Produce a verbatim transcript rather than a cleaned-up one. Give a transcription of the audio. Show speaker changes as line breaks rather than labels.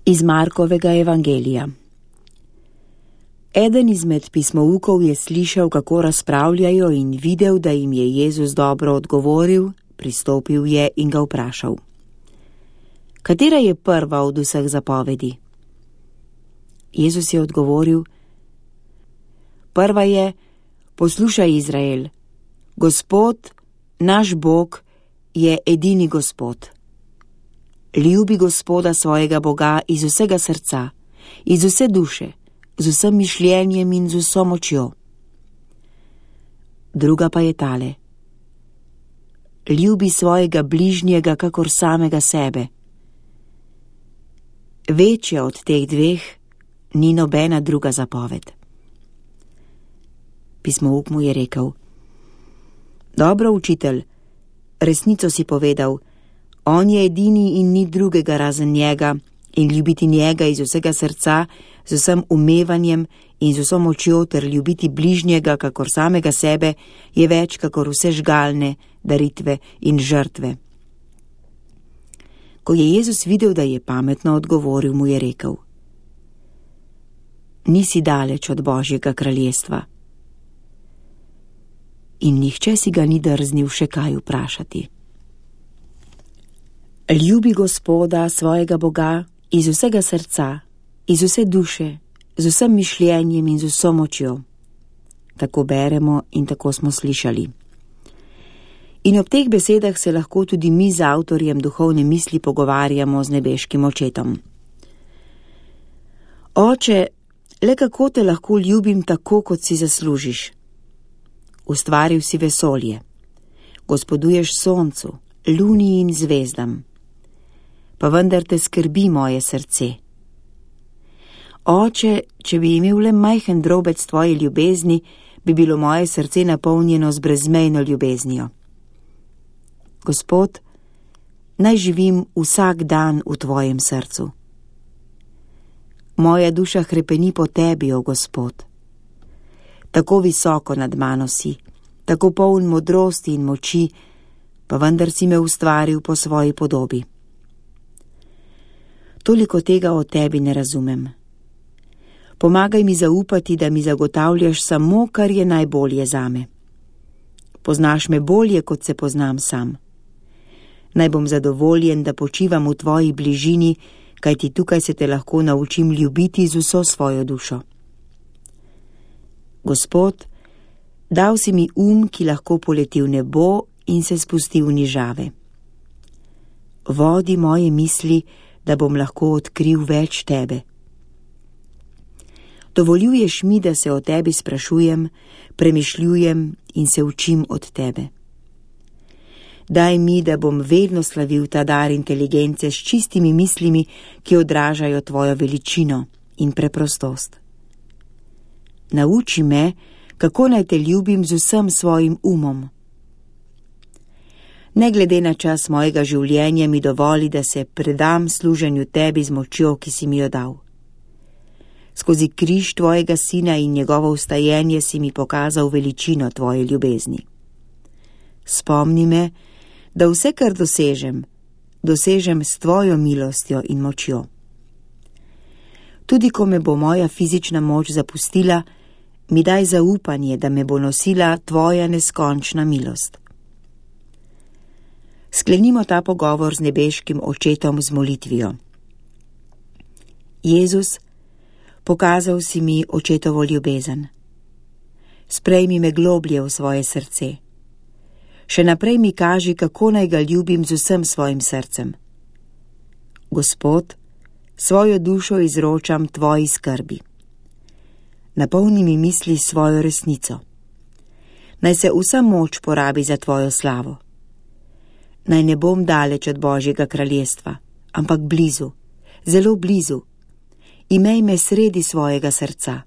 Iz Markovega evangelija. Eden izmed pismoukov je slišal, kako razpravljajo, in videl, da jim je Jezus dobro odgovoril, pristopil je in ga vprašal: Katera je prva od vseh zapovedi? Jezus je odgovoril: Prva je: Poslušaj, Izrael, Gospod, naš Bog, je edini Gospod. Ljubi Gospoda svojega Boga iz vsega srca, iz vse duše, z vsem mišljenjem in z vso močjo. Druga pa je tale: Ljubi svojega bližnjega kakor samega sebe. Večja od teh dveh ni nobena druga zapoved. Pismouk mu je rekel: Dobro, učitelj, resnico si povedal. On je edini in ni drugega razen njega, in ljubiti njega iz vsega srca, z vsem umevanjem in z vso močjo ter ljubiti bližnjega kakor samega sebe je več kakor vse žgalne, daritve in žrtve. Ko je Jezus videl, da je pametno odgovoril, mu je rekel: Nisi daleč od Božjega kraljestva. In nihče si ga ni drznil še kaj vprašati. Ljubi Gospoda svojega Boga iz vsega srca, iz vse duše, z vsem mišljenjem in z vso močjo. Tako beremo in tako smo slišali. In ob teh besedah se lahko tudi mi z avtorjem duhovne misli pogovarjamo z nebeškim očetom. Oče, le kako te lahko ljubim tako, kot si zaslužiš? Ustvaril si vesolje, gospoduješ soncu, luni in zvezdam. Pa vendar te skrbi moje srce. Oče, če bi imel le majhen drobec tvoje ljubezni, bi bilo moje srce napolnjeno z brezmejno ljubeznijo. Gospod, naj živim vsak dan v tvojem srcu. Moja duša hrepeni po tebi, o Gospod. Tako visoko nad mano si, tako poln modrosti in moči, pa vendar si me ustvaril po svoji podobi. Toliko tega o tebi ne razumem. Pomagaj mi zaupati, da mi zagotavljaš samo, kar je najbolje zame. Poznaš me bolje, kot se poznam sam. Naj bom zadovoljen, da počivam v tvoji bližini, kajti tukaj se te lahko naučim ljubiti z vso svojo dušo. Gospod, dal si mi um, ki lahko poleti v nebo in se spusti v nižave. Vodi moje misli, da bom lahko odkril več tebe. Dovoljuješ mi, da se o tebi sprašujem, premišljujem in se učim od tebe. Daj mi, da bom vedno slavil ta dar inteligence s čistimi mislimi, ki odražajo tvojo veličino in preprostost. Nauči me, kako naj te ljubim z vsem svojim umom. Ne glede na čas mojega življenja mi dovoli, da se predam služenju tebi z močjo, ki si mi jo dal. Skozi križ tvojega sina in njegovo vstajenje si mi pokazal veličino tvoje ljubezni. Spomni me, da vse, kar dosežem, dosežem s tvojo milostjo in močjo. Tudi ko me bo moja fizična moč zapustila, mi daj zaupanje, da me bo nosila tvoja neskončna milost. Sklenimo ta pogovor z nebeškim očetom z molitvijo. Jezus, pokazal si mi očetovo ljubezen. Sprejmi me globlje v svoje srce. Še naprej mi kaži, kako naj ga ljubim z vsem svojim srcem. Gospod, svojo dušo izročam tvoji skrbi. Napolni mi misli svojo resnico. Naj se vsa moč porabi za tvojo slavo. Naj ne bom daleč od Božjega kraljestva, ampak blizu, zelo blizu. Imej me sredi svojega srca.